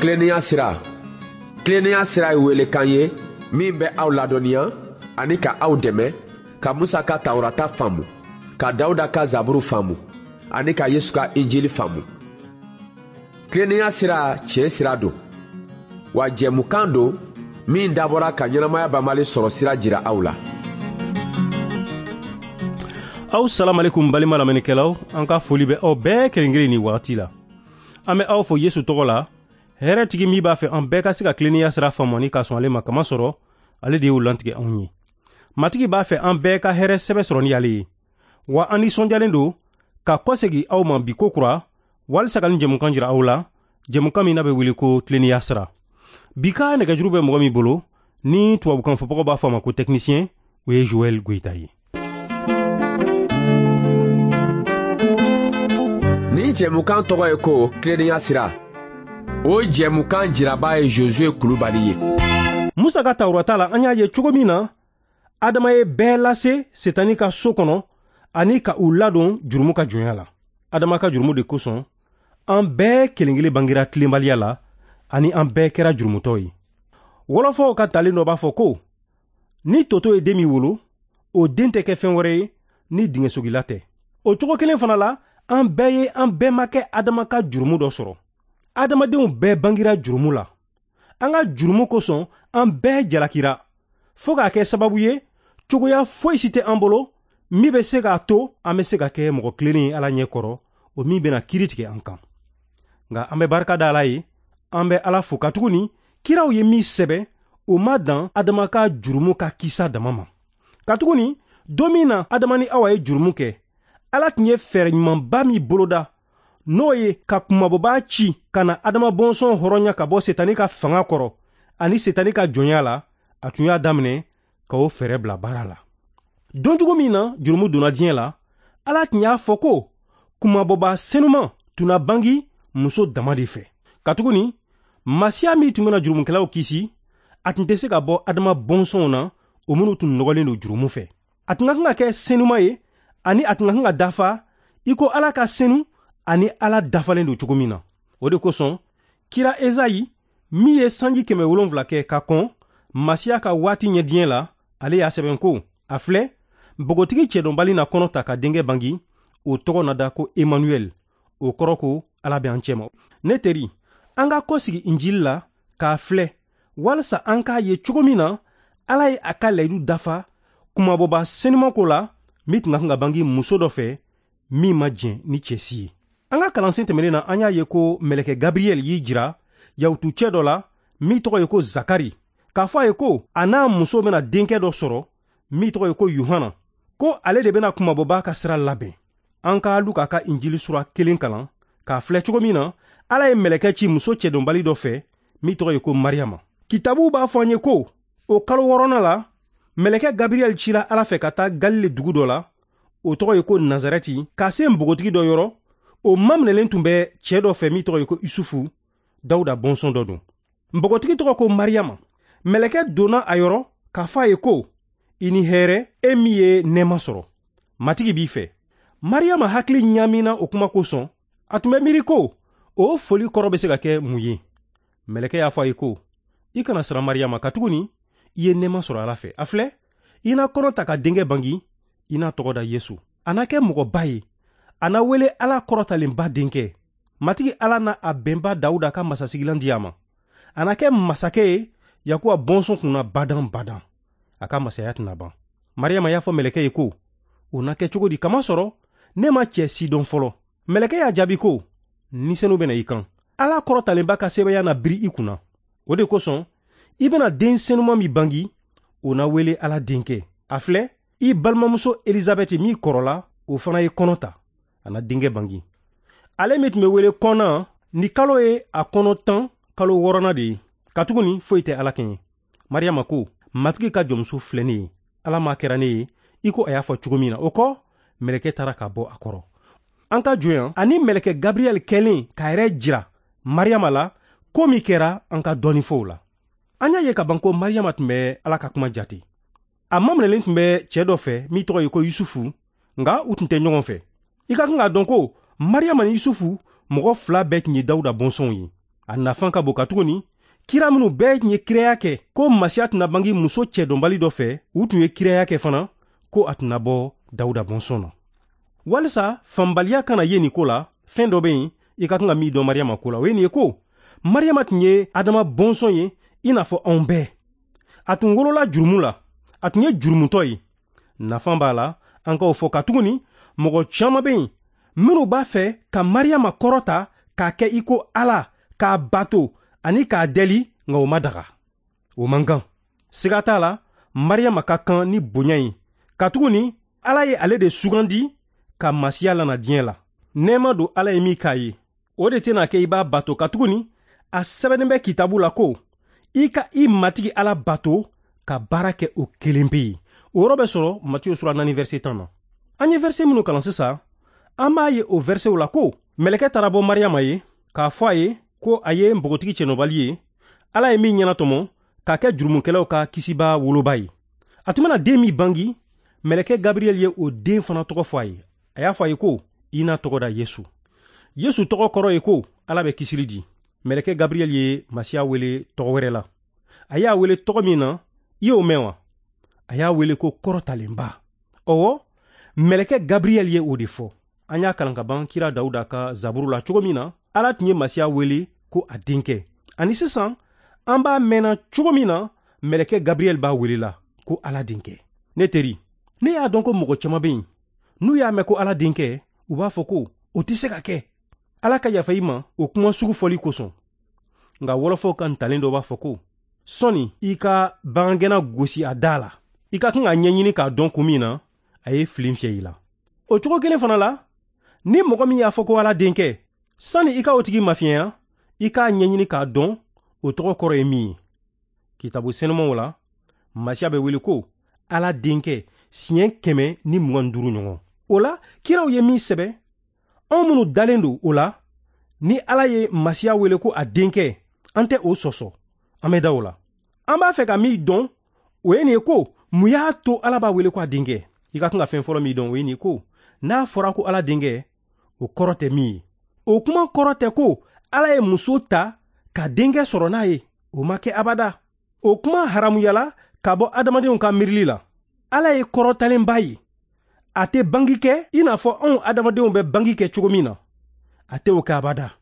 Tilennenya sira. Tilennenya sira ye welekan ye min bɛ aw ladɔnniya ani ka aw dɛmɛ ka Musa ka Tawurata faamu, ka Dawuda ka Zaburu faamu ani ka Yesu ka Injili faamu. Tilennenya sira tiɲɛ sira don, wa jɛmukan don min dabɔra ka ɲɛnamaya banbali sɔrɔ sira jira aw la. Aw salamalekum balima lamɛnnikɛlaw, an ka foli bɛ aw bɛɛ kelen kelen ni wagati la. An bɛ aw fo Yesu tɔgɔ la, hɛrɛtigi min b'a fɛ an bɛɛ ka se ka tilennenya sira faamu ani ka sɔn ale ma, kamasɔrɔ ale de y'o lantigɛ anw ye. Matigi b'a fɛ an bɛɛ ka hɛrɛ sɛbɛ sɔrɔ ni ale ye. Wa an nisɔndiyalen don ka kɔsegi aw ma bi ko kura walisa ka nin jɛmukan jira aw la, jɛmukan min n'a bɛ wele ko tilennenya sira. Bi ka nɛgɛjuru bɛ mɔgɔ min bolo, ni tubabukan fɔbagaw b'a fɔ a ma ko technicien, o ye Joël Goïta ye. Nin jɛmukan tɔgɔ ye ko tilennenya sira. O jɛmukan jiraba ye Josué Kulubali ye. Musa ka Tawurata la, an y'a ye cogo min na Adama ye bɛɛ lase Setani ka so kɔnɔ ani ka u ladon jurumu ka jɔnya la. Adama ka jurumu de kosɔn, an bɛɛ kelen kelen bangera tilenbaliya la ani an bɛɛ kɛra jurumutɔ ye. Wɔlɔfɔw ka talen dɔ b'a fɔ ko ni toto ye den min wolo, o den tɛ kɛ fɛn wɛrɛ ye ni dingɛsogila tɛ. O cogo kelen fana la, an bɛɛ ye an bɛnbakɛ Adama ka jurumu dɔ sɔrɔ. Adamadenw bɛɛ bangera jurumu la. An ka jurumu kosɔn, an bɛɛ jalakira fo k'a kɛ sababu ye cogoya foyi si tɛ an bolo min bɛ se k'a to an bɛ se ka kɛ mɔgɔ tilennen ye Ala ɲɛ kɔrɔ, o min bɛna kiiri tigɛ an kan. Nka an bɛ barika da Ala ye, an bɛ Ala fo katuguni kiraw ye min sɛbɛn, o ma dan Adama ka jurumu ka kisa dama ma. Katuguni don min na Adama ni Awa ye jurumu kɛ, Ala tun ye fɛɛrɛ ɲumanba min boloda, n'o ye ka kunmabɔbaa ci ka na Adama bɔnsɔn hɔrɔnya ka bɔ Setani ka fanga kɔrɔ ani Setani ka jɔnya la, a tun y'a daminɛ ka o fɛɛrɛ bila baara la. Donjugu min na jurumu donna diɲɛ la, Ala tun y'a fɔ ko kunmabɔbaa senuman tun na bangi muso dama de fɛ. Katuguni Masiya min tun bɛna jurumukɛlaw kisi, a tun tɛ se ka bɔ Adama bɔnsɔnw na, o minnu tun nɔgɔlen don jurumu fɛ. A tun ka kan ka kɛ senuma ye ani a tun ka kan ka dafa i ko Ala ka senu ani Ala dafalen don cogo min na. O de kosɔn kira Ezayi min ye sanji 700 kɛ ka kɔn Masiya ka waati ɲɛ diɲɛ la, ale y'a sɛbɛn ko: a filɛ, npogotigi cɛdɔnbali na kɔnɔ ta ka denkɛ bangi, o tɔgɔ na da ko Emmanuel, o kɔrɔ ko Ala bɛ an cɛma. Ne teri, an ka kɔsigi Injili la k'a filɛ walisa an k'a ye cogo min na Ala ye a ka layidu dafa kunmabɔba senuman ko la min tun ka kan ka bangi muso dɔ fɛ min ma jɛn ni cɛ si ye. An ka kalansen tɛmɛnen na, an y'a ye ko mɛlɛkɛ Gabriel y'i jira yahutu cɛ dɔ la min tɔgɔ ye ko Zakari, k'a fɔ a ye ko a n'a muso bɛna denkɛ dɔ sɔrɔ min tɔgɔ ye ko Yohana, ko ale de bɛna kunmabɔba ka sira labɛn. An ka Luka ka Injili sura 1 kalan k'a filɛ cogo min na Ala ye mɛlɛkɛ ci muso cɛdɔnbali dɔ fɛ min tɔgɔ ye ko Mariyama. Kitabuw b'a fɔ an ye ko o kalo 6nan la, mɛlɛkɛ Gabriel cira Ala fɛ ka taa Galile dugu dɔ la, o tɔgɔ ye ko Nazarɛti, ka se npogotigi dɔ yɔrɔ, o maminɛlen tun bɛ cɛ dɔ fɛ min tɔgɔ ye ko Isufu, Dawuda bɔnsɔn dɔ don. Npogotigi tɔgɔ ko Mariyama. Mɛlɛkɛ donna a yɔrɔ k'a fɔ a ye ko: i ni hɛrɛ, e min ye nɛɛma sɔrɔ, Matigi b'i fɛ. Mariyama hakili ɲaamina o kuma kosɔn, a tun bɛ miiri ko o foli kɔrɔ bɛ se ka kɛ mun ye. Mɛlɛkɛ y'a fɔ a ye ko: i kana siran Mariyama, katuguni i ye nɛɛma sɔrɔ Ala fɛ. A filɛ, i na kɔnɔ ta ka denkɛ bangi, i n'a tɔgɔ da Yesu. A na kɛ mɔgɔba ye, a na wele Ala kɔrɔtalenba denkɛ. Matigi Ala na a bɛnba Dawuda ka masasigilan di a ma. A na kɛ masakɛ ye Yakuba bɔnsɔn kunna badan badan. A ka masaya tɛna ban. Mariyama y'a fɔ mɛlɛkɛ ye ko: o na kɛ cogo di, kamasɔrɔ ne ma cɛ si dɔn fɔlɔ. Mɛlɛkɛ y'a jaabi ko: ni senu bɛna i kan, Ala kɔrɔtalenba ka sɛbɛya na biri i kunna. O de kosɔn i bɛna den senuman min bangi, o na wele Ala denkɛ. A filɛ, i balimamuso Elizabɛti min kɔrɔla, o fana ye kɔnɔ ta, a na denkɛ bangi. Ale min tun bɛ wele kɔnna, ni kalo ye a kɔnɔ 10 kalo 6nan de ye, katuguni foyi tɛ Ala kɛɲɛ. Mariyama ko: Matigi ka jɔnmuso filɛ ne ye, Ala m'a kɛra ne ye i ko a y'a fɔ cogo min na. O kɔ, mɛlɛkɛ taara ka bɔ a kɔrɔ. An ka jɔ yan ani mɛlɛkɛ Gabriel kɛlen k'a yɛrɛ jira Mariyama la, ko min kɛra an ka dɔɔni fɔ o la. An y'a ye ka ban ko Mariyama tun bɛ Ala ka kuma jate. A maminɛlen tun bɛ cɛ dɔ fɛ min tɔgɔ ye ko Yusufu, nka u tun tɛ ɲɔgɔn fɛ. I ka kan k'a dɔn ko Mariyama ni Yusufu mɔgɔ 2 bɛɛ tun ye Dawuda bɔnsɔnw ye. A nafan ka bon katuguni kira minnu bɛɛ tun ye kiraya kɛ ko Masiya tɛna bange muso cɛdɔnbali dɔ fɛ, u tun ye kiraya kɛ fana ko a tɛna bɔ Dawuda bɔnsɔn na. Walisa fanbaliya kana ye nin ko la, fɛn dɔ bɛ yen i ka kan ka min dɔn Mariyama ko la, o ye nin ye ko Mariyama tun ye Adama bɔnsɔn ye i n'a fɔ anw bɛɛ. A tun wolola jurumu la, a tun ye jurumutɔ ye. Nafan b'a la an k'o fɔ katuguni mɔgɔ caman bɛ yen minnu b'a fɛ ka Mariyama kɔrɔta k'a kɛ i ko Ala, k'a bato ani k'a deli, nka o ma daga, o man kan. Siga t'a la, Mariyama ka kan ni bonya ye katuguni Ala ye ale de sugandi ka Masiya lana diɲɛ la. Nɛɛma don Ala ye min k'a ye, o de tɛna kɛ i b'a bato katuguni a sɛbɛnnen bɛ kitabu la ko i ka i Matigi Ala bato ka baara kɛ o kelen pe ye. O yɔrɔ bɛ sɔrɔ Matiyo sura 4 verset 10 na. An ye verset minnu kalan sisan, an b'a ye o versetw la ko mɛlɛkɛ taara bɔ Mariyama ye k'a fɔ a ye ko a ye npogotigi cɛnɔbali ye, Ala ye min ɲɛnatɔmɔ k'a kɛ jurumukɛlaw ka kisibaa woloba ye. A tun bɛna den min bangi, mɛlɛkɛ Gabriel ye o den fana tɔgɔ fɔ a ye. A y'a fɔ a ye ko i n'a tɔgɔ da Yesu. Yesu tɔgɔ kɔrɔ ye ko Ala bɛ kisili di. Mɛlɛkɛ Gabriel ye Masiya wele tɔgɔ wɛrɛ la. A y'a wele tɔgɔ min na, i y'o mɛn wa? A y'a wele ko kɔrɔtalenba. Ɔwɔ, mɛlɛkɛ Gabriel ye o de fɔ. An y'a kalan ka ban kira Dawuda ka zaburu la cogo min na, Ala tun ye Masiya wele ko a denkɛ. Ani sisan, an b'a mɛnna cogo min na, mɛlɛkɛ Gabriel b'a wele la ko Ala denkɛ. Ne teri, ne y'a dɔn ko mɔgɔ caman bɛ yen, n'u y'a mɛn ko Ala denkɛ, u b'a fɔ ko o tɛ se ka kɛ. Ala ka yafa i ma o kuma sugu fɔli kosɔn. Nka wɔlɔfɔw ka ntalen dɔ b'a fɔ ko sɔnni i ka bagangɛnna gosi a da la, i ka kan k'a ɲɛɲini k'a dɔn kun min na a ye fili fiyɛ i la. O cogo kelen fana la, ni mɔgɔ min y'a fɔ ko Ala denkɛ, sani i ka o tigi mafiɲɛya, i k'a ɲɛɲini k'a dɔn o tɔgɔ kɔrɔ ye min ye. Kitabu senumanw la, Masiya bɛ wele ko Ala denkɛ siɲɛ 125 ɲɔgɔn. O la, kiraw ye min sɛbɛn, anw minnu dalen don o la, ni Ala ye Masiya wele ko a denkɛ, an tɛ o sɔsɔ, an bɛ da o la. An b'a fɛ ka min dɔn, o ye nin ye ko mun y'a to Ala b'a wele ko a denkɛ. I ka kan ka fɛn fɔlɔ min dɔn, o ye nin ye ko n'a fɔra ko Ala denkɛ, o kɔrɔ tɛ min ye. O kuma kɔrɔ tɛ ko Ala ye muso ta ka denkɛ sɔrɔ n'a ye, o ma kɛ abada. O kuma haramuyala ka bɔ adamadenw ka miirili la. Ala ye kɔrɔtalenba ye. A tɛ bangi kɛ i n'a fɔ anw adamadenw bɛ bangi kɛ cogo min na. A tɛ o kɛ abada.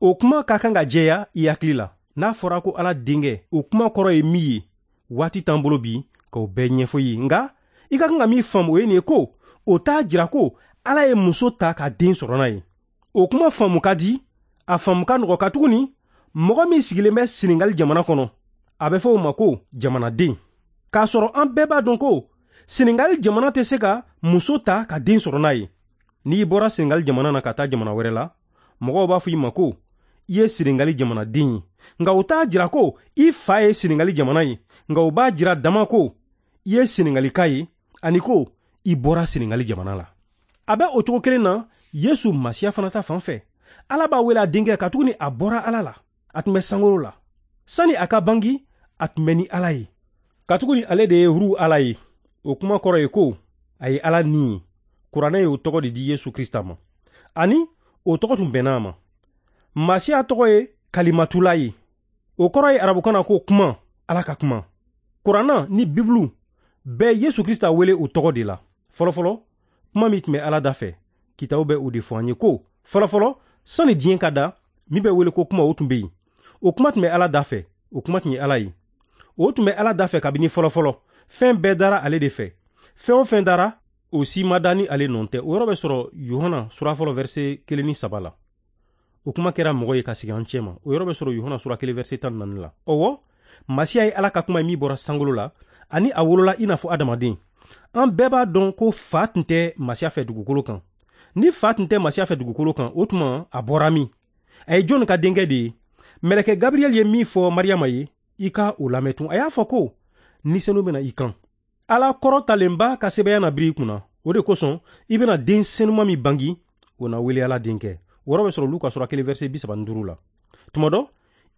O kuma ka kan ka jɛya i hakili la. N'a fɔra ko Ala denkɛ, o kuma kɔrɔ ye min ye, waati t'an bolo bi k'o bɛɛ ɲɛfɔ i ye. Nka i ka kan ka min faamu, o ye nin ye ko o t'a jira ko Ala ye muso ta ka den sɔrɔ n'a ye. O kuma faamu ka di, a faamu ka nɔgɔ katuguni mɔgɔ min sigilen bɛ Senegali jamana kɔnɔ, a bɛ fɔ o ma ko jamanaden. K'a sɔrɔ an bɛɛ b'a dɔn ko Senegali jamana tɛ se ka muso ta ka den sɔrɔ n'a ye. N'i bɔra Senegali jamana na ka taa jamana wɛrɛ la, mɔgɔw b'a fɔ i ma ko i ye Senegali jamanaden ye. Nka o t'a jira ko i fa ye Senegali jamana ye, nka o b'a jira dama ko i ye Senegalika ye ani ko i bɔra Senegali jamana la. A bɛ o cogo kelen na Yesu Masiya fana ta fan fɛ. Ala b'a wele a denkɛ katuguni a bɔra Ala la. A tun bɛ sankolo la. Sani a ka bangi, a tun bɛ ni Ala ye. Katuguni ale de ye Ru Ala ye. O kuma kɔrɔ ye ko a ye Ala ni ye. Kuranɛ ye o tɔgɔ de di Yesu Krista ma. Ani o tɔgɔ tun bɛnna a ma. Masiya tɔgɔ ye Kalimatula ye. O kɔrɔ ye arabukan na ko kuma, Ala ka kuma. Kuranɛ ni Bibulu bɛɛ Yesu Krista wele o tɔgɔ de la. Fɔlɔfɔlɔ, kuma min tun bɛ Ala da fɛ, kitabu bɛ o de fɔ an ye ko fɔlɔfɔlɔ, sani diɲɛ ka da, min bɛ wele ko kuma, o tun bɛ yen. O kuma tun bɛ Ala da fɛ, o kuma tun ye Ala ye. O tun bɛ Ala da fɛ kabini fɔlɔfɔlɔ. Fɛn bɛɛ dara ale de fɛ. Fɛn o fɛn dara, o si ma da ni ale nɔ tɛ. O yɔrɔ bɛ sɔrɔ Yohana sura fɔlɔ verset 1 ni 3 la. O kuma kɛra mɔgɔ ye ka sigi an cɛ ma. O yɔrɔ bɛ sɔrɔ Yohana sura 1 verset 14 la. Ɔwɔ, Masiya ye Ala ka kuma ye min bɔra sankolo la, ani a wolola i n'a fɔ adamaden. An bɛɛ b'a dɔn ko fa tun tɛ Masiya fɛ dugukolo kan. Ni fa tun tɛ Masiya fɛ dugukolo kan, o tuma a bɔra min? A ye jɔnni ka denkɛ de ye? Mɛlɛkɛ Gabriel ye min fɔ Mariyama ye, i ka o lamɛn tun. A y'a fɔ ko ni senu bɛna i kan. Ala kɔrɔtalenba ka sɛbɛya na biri i kunna. O de kosɔn i bɛna den senuma min bangi, o na wele Ala denkɛ. O yɔrɔ bɛ sɔrɔ Luka sura 1 verset 35 la. Tuma dɔ,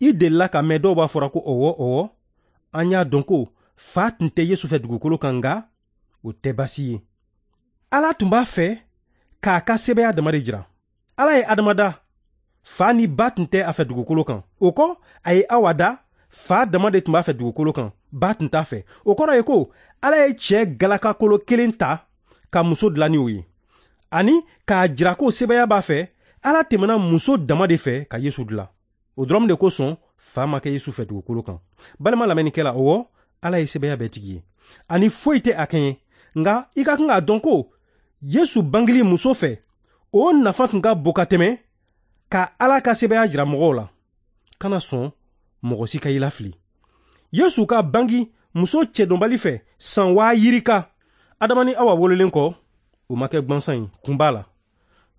i delila ka mɛn dɔw b'a fɔra ko ɔwɔ ɔwɔ, an y'a dɔn ko fa tun tɛ Yesu fɛ dugukolo kan, nka o tɛ baasi ye. Ala tun b'a fɛ k'a ka sɛbɛya dama de jira. Ala ye Adama da. Fa ni ba tun tɛ a fɛ dugukolo kan. O kɔ, a ye Awa da, fa dama de tun b'a fɛ dugukolo kan, ba tun t'a fɛ. O kɔrɔ ye ko Ala ye cɛ galakakolo kelen ta ka muso dilan ni o ye, ani k'a jira ko sebaaya b'a fɛ. Ala tɛmɛna muso dama de fɛ ka Yesu dilan. O dɔrɔn de kosɔn fa ma kɛ Yesu fɛ dugukolo kan. Balima lamɛnnikɛla, ɔwɔ, Ala ye sebaaya bɛɛ tigi ye, ani foyi tɛ a kɛɲɛ. Nka i ka kan k'a dɔn ko Yesu bangeli muso fɛ, o nafa tun ka bon ka tɛmɛ ka Ala ka sebaaya jira mɔgɔw la. Kana sɔn mɔgɔ si ka i lafili. Yesu ka bangi muso cɛdɔnbali fɛ san 2000, Adama ni Awa wololen kɔ, o ma kɛ gwansan ye. Kun b'a la.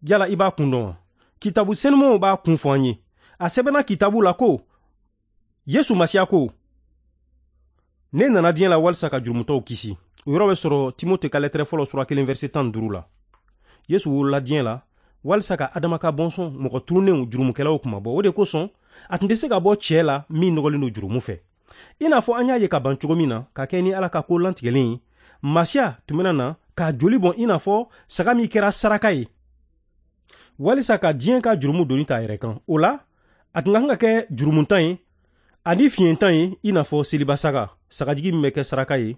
Yala i b'a kun dɔn wa? Kitabu senumanw b'a kun fɔ an ye. A sɛbɛnna kitabu la ko Yesu Masiya ko: ne nana diɲɛ la walisa ka jurumutɔw kisi. O yɔrɔ bɛ sɔrɔ Timote ka lɛtɛrɛ fɔlɔ sura 1 verset 15 la. Yesu wolola diɲɛ la walisa ka Adama ka bɔnsɔn mɔgɔ tununnenw jurumukɛlaw kunmabɔ. O de kosɔn a tun tɛ se ka bɔ cɛɛ la min nɔgɔlen don jurumu fɛ. I n'a fɔ an y'a ye ka ban cogo min na, ka kɛ ni Ala ka ko lantigɛlen ye, Masiya tun bɛna na k'a joli bɔn i n'a fɔ saga min kɛra saraka ye, walisa ka diɲɛ ka jurumu doni ta a yɛrɛ kan. O la, a tun ka kan ka kɛ jurumuntan ye ani fiɲɛtan ye, i n'a fɔ seliba saga, sagajigi min bɛ kɛ saraka ye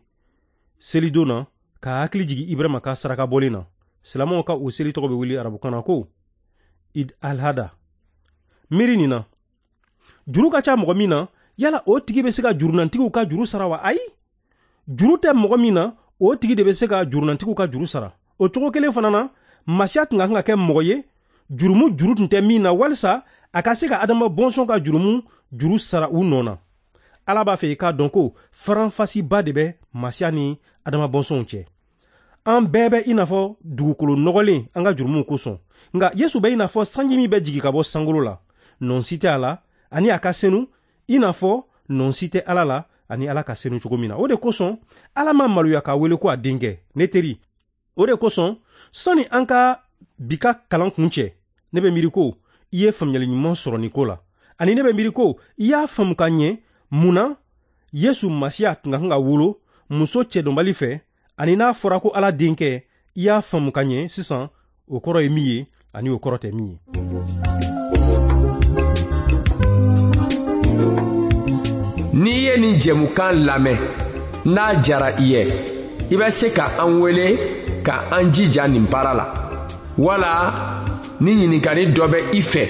selidon na, ka hakili jigin Ibrahima ka saraka bɔlen na. Silamɛw ka o seli tɔgɔ bɛ wele arabukan na ko Id al-Hada. Miiri nin na, juru ka ca mɔgɔ min na, yala o tigi bɛ se ka jurunantigiw ka juru sara wa? Ayi, juru tɛ mɔgɔ min na, o tigi de bɛ se ka jurunantigiw ka juru sara. O cogo kelen fana na, Masiya tun ka kan ka kɛ mɔgɔ ye jurumu juru tun tɛ min na, walisa a ka se ka Adama bɔnsɔn ka jurumu juru sara u nɔ na. Ala b'a fɛ i k'a dɔn ko faranfasiba de bɛ Masiya ni Adama bɔnsɔnw cɛ. An bɛɛ bɛ i n'a fɔ dugukolo nɔgɔlen an ka jurumuw kosɔn, nka Yesu bɛ i n'a fɔ sanji min bɛ jigin ka bɔ sankolo la, nɔn si tɛ a la, ani a ka senu i n'a fɔ nɔn si tɛ Ala la ani Ala ka senu cogo min na. O de kosɔn Ala ma maloya k'a wele ko a denkɛ. Ne teri, o de kosɔn sɔnni an ka bi ka kalan kun cɛ, ne bɛ miiri ko i ye faamuyali ɲuman sɔrɔ nin ko la, ani ne bɛ miiri ko i y'a faamu ka ɲɛ mun na Yesu Masiya tun ka kan ka wolo muso cɛdɔnbali fɛ, ani n'a fɔra ko Ala denkɛ, i y'a faamu ka ɲɛ sisan o kɔrɔ ye min ye ani o kɔrɔ tɛ min ye. N'i ye nin jɛmukan lamɛn, n'a jara i ye, i bɛ se ka an wele ka an jija nin baara la, wala ni ɲininkali dɔ bɛ i fɛ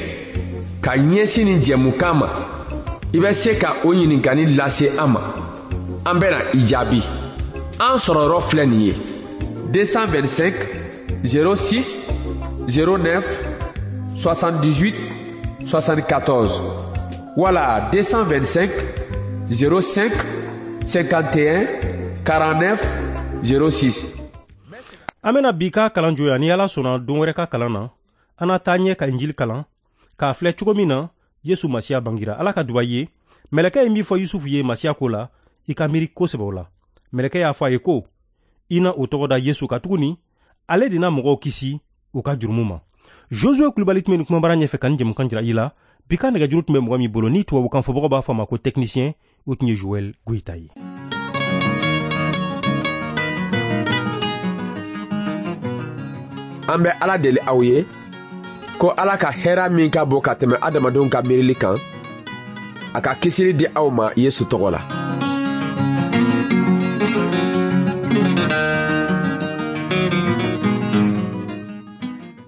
ka ɲɛsin nin jɛmukan ma, i bɛ se ka o ɲininkali lase an ma. An bɛna i jaabi. An sɔrɔyɔrɔ filɛ nin ye: 225 06 09 78 74 wala 225 05 51 49 06. An bɛna bi ka kalan jɔ ni Ala sɔnna don wɛrɛ ka kalan na. An na taa ɲɛ ka Injili kalan k'a filɛ cogo min na Yesu Masiya bangira. Ala ka duba ye. Mɛlɛkɛ ye min fɔ Yusufu ye Masiya ko la, i ka miiri kosɛbɛ o la. Mɛlɛkɛ y'a fɔ a ye ko i na o tɔgɔ da Yesu, katuguni ale de na mɔgɔw kisi u ka jurumu ma. Josue Kulibali tun bɛ nin kumabara ɲɛfɛ ka nin jɛmukan jira i la. Bi ka nɛgɛjuru tun bɛ mɔgɔ min bolo ni tubabukan fɔbagaw b'a fɔ a ma ko technicien, o tun ye Joël Goyita ye. An bɛ Ala deli aw ye ko Ala ka hɛrɛ min ka bon ka tɛmɛ adamadenw ka miirili kan, a ka kisili di aw ma Yesu tɔgɔ la.